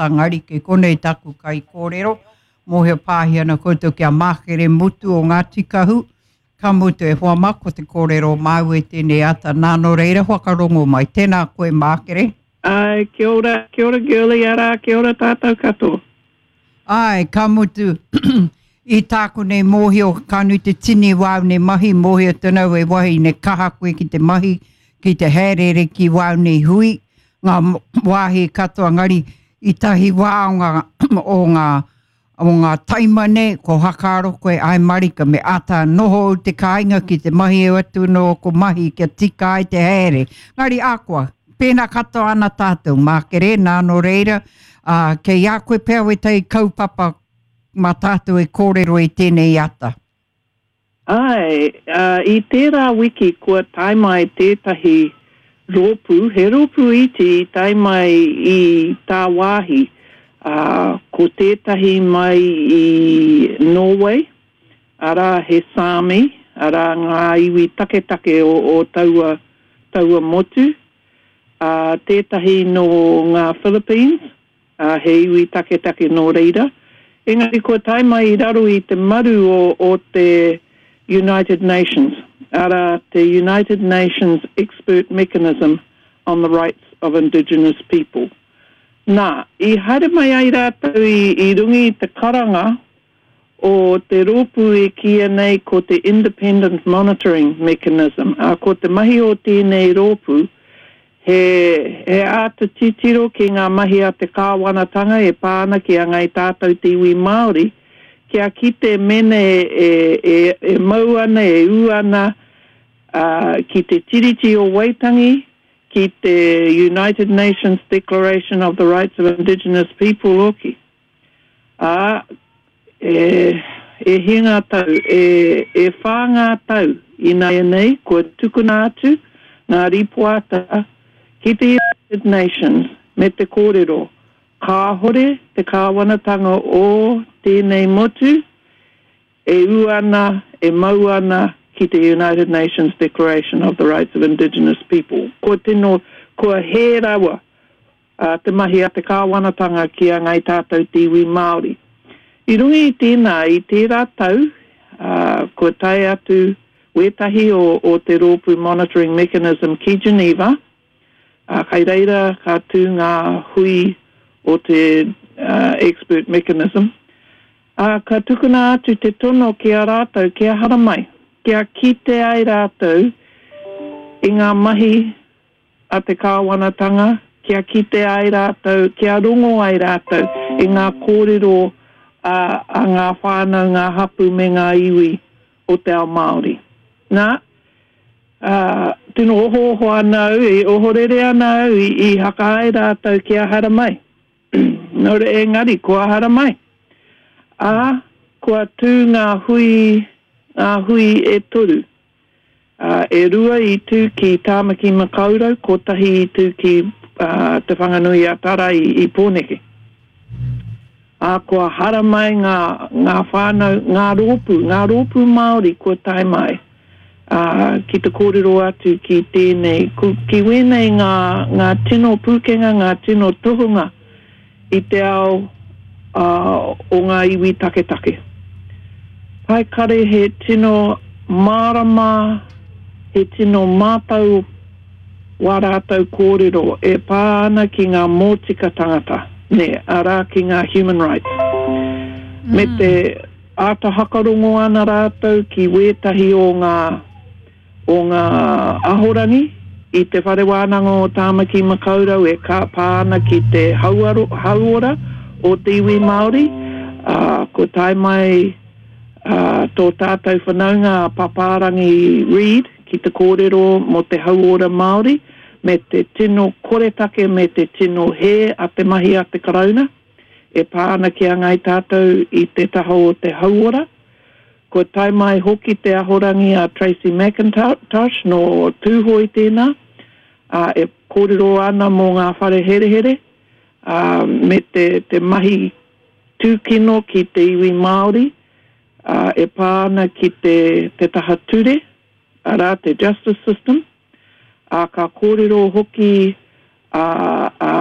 ata, ngari kei konei taku kaikōrero, mōhio pāhi ana koutou ki a Mākere Mutu o Ngāti Kahu, ka mutu e hoa mā ko te kōrero māu e tēnei ata nā nō reira whakarongo mai. Tēnā koe Mākere. Āe, kia ora, kia ora Girlie, arā, kia ora tātou katoa. Āe, ka mutu, i tāku nei mōhio, ka nui te tini wāu nei mahi, mōhio tonu au e wahine kaha koe ki te mahi, ki te haereere ki wāu nei hui, ngā wāhi katoa, engari i tahi wā o ngā, o ngā, o ngā taima nei, ko hakaaro koe, āe marika, me āta noho au te kāinga ki te mahi au atu anō ko mahi kia tika ai te haere. Engari akoa, pēnā katoa ana tātou, mākere, nā nō reira, ā, kei a koe pea wētahi kaupapa mā tātou e kōrero i tēnei ata. Āe, ā, i tērā wiki kua tae mai tētahi rōpū, he rōpū iti i tae mai i tāwāhi, ā, ko tētahi mai i Nōwei, arā, he Sāmi, arā, ngā iwi taketake o, o taua, taua motu, ā, tētahi nō ngā Philippines, ā, he iwi taketake nō reira, engari kua tae mai i raro i te maru o, o te United Nations, arā, te United Nations Expert Mechanism on the Rights of Indigenous People. Nā, i haere mai ai rātou i, i runga i te karanga o te rōpū e kīia nei ko te Independent Monitoring Mechanism, ā, ko te mahi o tēnei rōpū, he, he āta titiro ki ngā mahi a te kāwanatanga e pā ana ki a Ngāi Tātou te iwi Māori, kia kite mēnā e, e, e, e mau ana, e ū ana, ā, ki te Tiriti o Waitangi, ki te United Nations Declaration of the Rights of Indigenous People hoki. Ā, e, e hia ngā tau, e, e whā ngā tau ināianei kua tukuna atu ngā rīpoata ki te United Nations me te kōrero kāhore te kāwanatanga o tēnei motu e ū ana, e mau ana ki te United Nations Declaration of the Rights of Indigenous People. Kua tino, kua hē rawa ā, te mahi a te kāwanatanga ki a Ngāi Tātou te iwi Māori. I runga i tēnā, i tērā tau, ā, kua tae atu wētahi o, o te rōpū Monitoring Mechanism ki Geneva, ā, kai reira ka tū ngā hui o te Expert Mechanism, ā, ka tukuna atu te tono ki a rātou kia haramai, kia kite ai rātou i ngā mahi a te kāwanatanga kia kite ai rātou, kia rongo ai rātou i ngā kōrero a a ngā whānau, ngā hapū me ngā iwi o te ao Māori. Nā, ā, tino ohooho ana au, e ohorere ana au i i haka ai rātou kia haramai. Nō reira, engari, kua haramai. Ā, kua tū ngā hui, ngā hui e toru. Ā, e rua i tū ki Tāmaki Makaurau, kotahi i tū ki Te Whanganui-a-Tara i Pōneke. Ā, kua haramai ngā, ngā whānau, ngā rōpū, ngā rōpū Māori kua tae mai, ā, ki te kōrero atu ki tēnei, ki wēnei ngā, ngā tino pūkenga, ngā tino tohunga i te ao o ngā iwi taketake. Pae kare he tino mārama, he tino mātau wā rātou kōrero e pā ana ki ngā mōtika tangata, nē, arā ki ngā human rights. Me te āta hakarongo ana rātou ki wētahi o ngā o ngā ahorangi i Te Whare Wānanga o Tāmaki Makaurau e ka pā ana ki te hauaro, hauora o te iwi Māori, ā, kua tae mai ā, tō tātou whanaunga a Papārangi Reid ki te kōrero mō te hauora Māori me te tino koretake me te tino hē a te mahi a te Karauna e pā ana ki a Ngāi Tātou i te taha o te hauora. Kua tae mai hoki te ahorangi a Tracey McIntosh nō Tūhoe tēnā, ā, e kōrero ana mō ngā whare herehere, ā, me te, te mahi tūkino ki te iwi Māori, ā, e pā ana ki te, te taha ture, arā, te justice system, ā, ka kōrero hoki a, a.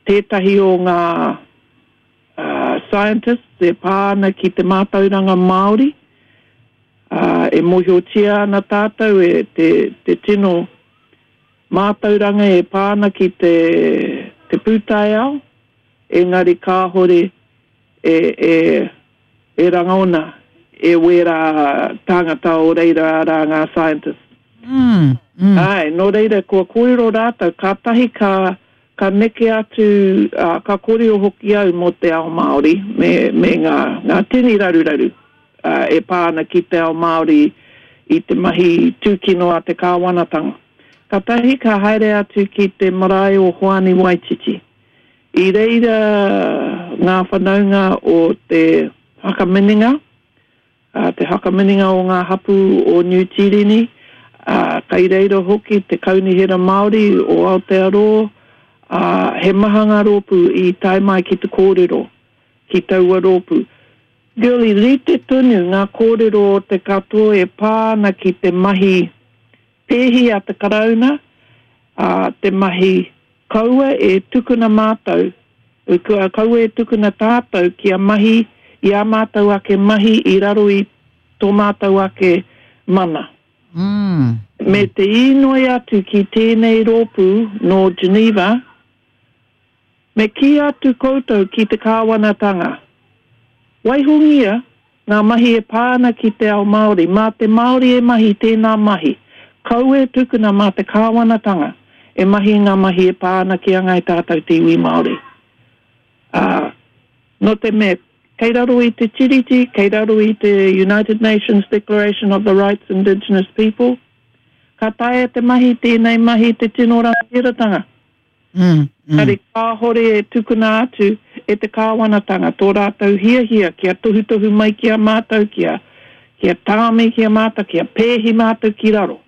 tētahi o ngā scientists e pā ana ki te mātauranga Māori, ā, e mōhiotia ana tātou e te, te tino mātauranga e pā ana ki te, te pūtaiao, engari kāhore e, e, e rangona e wērā tāngata o reira arā ngā scientists. Mm, mm. Āe, nō reira kua kōrero rātou, kātahi ka, ka neke atu, ā, ka kōrero hoki au mō te ao Māori me, me ngā, ngā tini raruraru, ā, e pā ana ki te ao Māori i te mahi tūkino a te kāwanatanga. Kātahi ka haere atu ki te marae o Hoani Waititi. I reira ngā whanaunga o te whakaminenga, te whakaminenga o ngā hapū o Niu Tīreni, ā, kai reira hoki te Kaunihera Māori o Aotearoa, ā, he maha ngā rōpū i tae mai ki te kōrero ki taua rōpū. Girlie, rite tonu ngā kōrero o te katoa e pā ana ki te mahi pēhi a te Karauna, ā, te mahi Kaua e tukuna mātou, kaua e tukuna tātou kia mahi i ā mātou ake mahi i raro i tō mātou ake mana. Me te īnoi atu ki tēnei rōpū nō Geneva, me kī atu koutou ki te kāwanatanga, Waihongia Ngā mahi e pā ana ki te ao Māori, mā te Māori e mahi tēnā mahi, kaua e tukuna mā te kāwanatanga e mahi ngā mahi e pā ana ki a Ngāi Tātou te iwi Māori. Ā, nō te mea, kei raro i te Tiriti, kei raro i te United Nations Declaration of the Rights Indigenous People, ka taea te mahi tēnei mahi te tino rangatiratanga. Engari kāhore e tukuna atu e te kāwanatanga tō rātou hiahia kia tohutohu mai ki a mātou, kia, kia tāmi ki a mātou, kia pēhi mātou ki raro.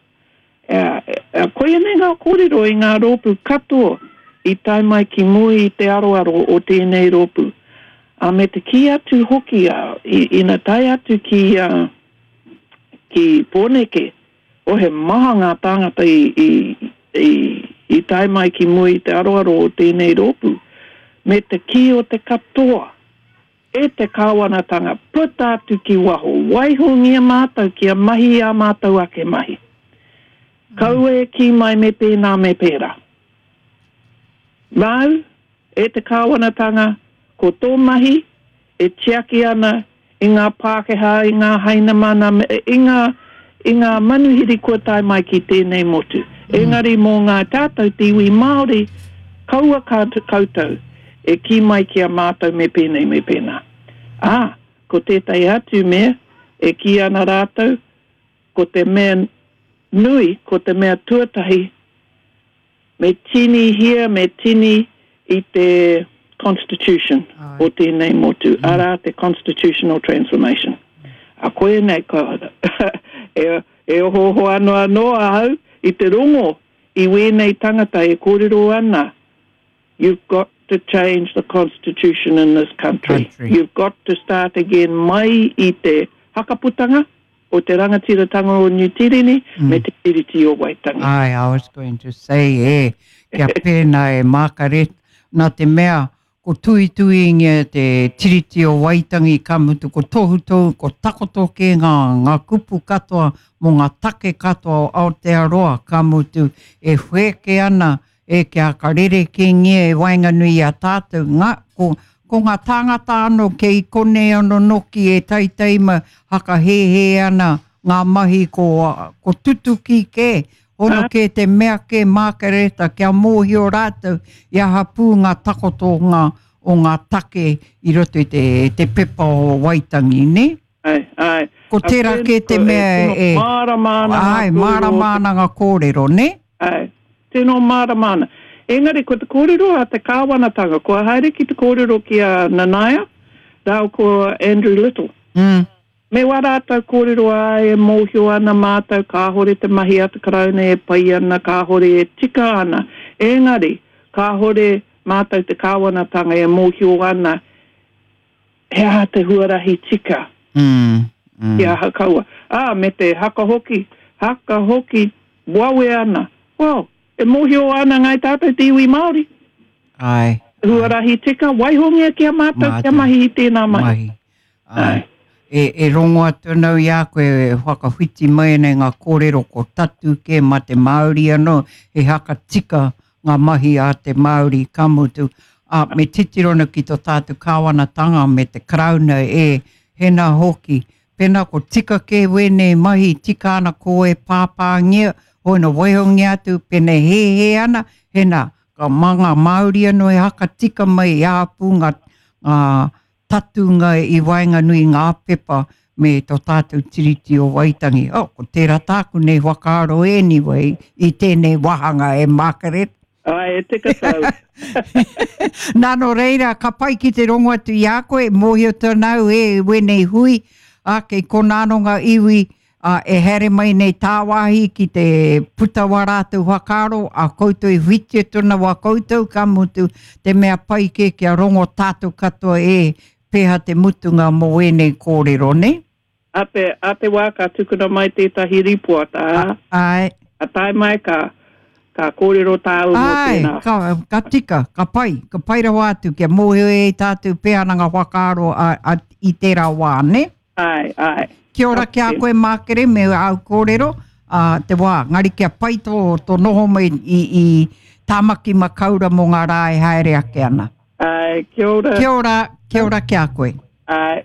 Koia nei ngā kōrero i ngā rōpū katoa i tae mai ki mua i te aroaro o tēnei rōpū. Ā, me te kī atu hoki, ā, ina tae atu ki, ā, ki Pōneke, Oh, he maha ngā tāngata i, i, i, i tae mai ki mua i te aroaro o tēnei rōpū, me te kī o te katoa, e te kāwanatanga, puta atu ki waho, waihongia mātou kia mahi i ā mātou ake mahi. Kaua e kī mai me pēnā me pērā. Māu, e te kāwanatanga, ko tō mahi e tiaki ana i ngā Pākehā, i ngā Hainamana, i ngā, i ngā manuhiri kua tae mai ki tēnei motu. Engari mō ngā tātou te iwi Māori, kaua ka koutou e kī mai ki a mātou me pēnei me pēnā. Ā, ko tētahi atu mea e kī ana rātou, ko te mea nui, ko te mea tuatahi, Me tinihia, me tini i te Constitution o tēnei motu, arā te Constitutional Transformation. A koia nei, ka, e, e ohooho ano anō ahau i te rongo i wēnei tangata e kōrero ana, you've got to change the constitution in this country. country. You've got to start again mai i te hakaputanga, o te rangatiratanga o Niu Tireni me te Tiriti o Waitangi. Ae, I was going to say, e, kia pēnā e Mākaret, nā te mea, ko tuituingia te Tiriti o Waitangi, ka mutu ko tohutohu, ko takoto kē ngā, ngā kupu katoa mō ngā take katoa o Aotearoa, ka mutu e whēke ana E kia ka rerekēngia e waenganui i a tātou, ngā, ko, ko ngā tāngata anō kei konei anō noki e taitai ma hakahēhē ana ngā mahi ko, ko tutuki kē, hono kē te mea kē Mākereta kia mōhio rātou i aha pū ngā takotonga o ngā take i roto i te, te pepa o Waitangi, nē? Āe, āe. Ko tērā kē te mea e... Mārama ana ngā kōrero. Āe, mārama ana ngā kōrero, nē? Āe, tino mārama ana. Engari, ko te kōrero a te kāwanatanga, kua haere ki te kōrero ki a Nanaia rāua ko Andrew Little. Mm. Me wā rātou kōrero, āe, e mōhio ana mātou kāhore te mahi a te Karauna e pai ana, kāhore e tika ana. Engari, kāhore mātou te kāwanatanga e mōhio ana he aha te huarahi tika kia aha kaua. Ā, me te haka hoki, haka hoki wawe ana. Well, e mōhio ana ngāi tātou te iwi Māori. Āe. Huarahi tika, waihongia ki a mātou kia mahi i tēnā mahi. Mahi. Āe. E, e rongo atu ana au i a koe e whakawhiti mai ana i ngā kōrero ko tatū kē mā te Māori anō, he haka tika ngā mahi a te Māori, ka mutu, ā, me titiro ana ki tō tātou kāwanatanga me te Karauna e, hēnā hoki, pēnā ko tika kē wēnei mahi, tika ana ko e pāpāngia, hoi na waihongia atu, pēnei hēhē ana, hēnā, ka mā ngā Māori anō e haka tika mai i āpū ngā, ngā tatūnga i waenganui i ngā pepa me tō tātou Tiriti o Waitangi. Oh, ko tērā tāku nei whakaaro anyway i tēnei wāhanga e Margaret. Ai, e tika tau. Nā, nō reira, ka pai ki te rongo atu i a koe, mōhio tonu au e wēnei hui, ā, kei konā anō ngā iwi ā, e haere mai nei tāwāhi ki te puta wā rātou whakaaro, ā koutou i whitia tona wā koutou, ka mutu, te mea pai kē kia rongo tātou katoa e pēhea te mutunga mō ēnei kōrero, nē? A te, a te wā ka tukuna mai tētahi rīpoata, ā, Āe. ka tae mai ka, ka kōrero tāua mō Āe, tēnā. ka, ka tika, ka pai, ka pai rawa atu kia mōhio e tātou pēhea ana ngā whakaaro a, a, i tērā wā, nē? Āe, āe. Kia ora ki a koe Mākere me āu kōrero, ā, te wā, ngari kia pai tō, tō noho mai i, i Tāmaki Makaura mō ngā rā e haere ake ana. Āe, kia ora. Kia ora, kia ora ki a koe. Āe.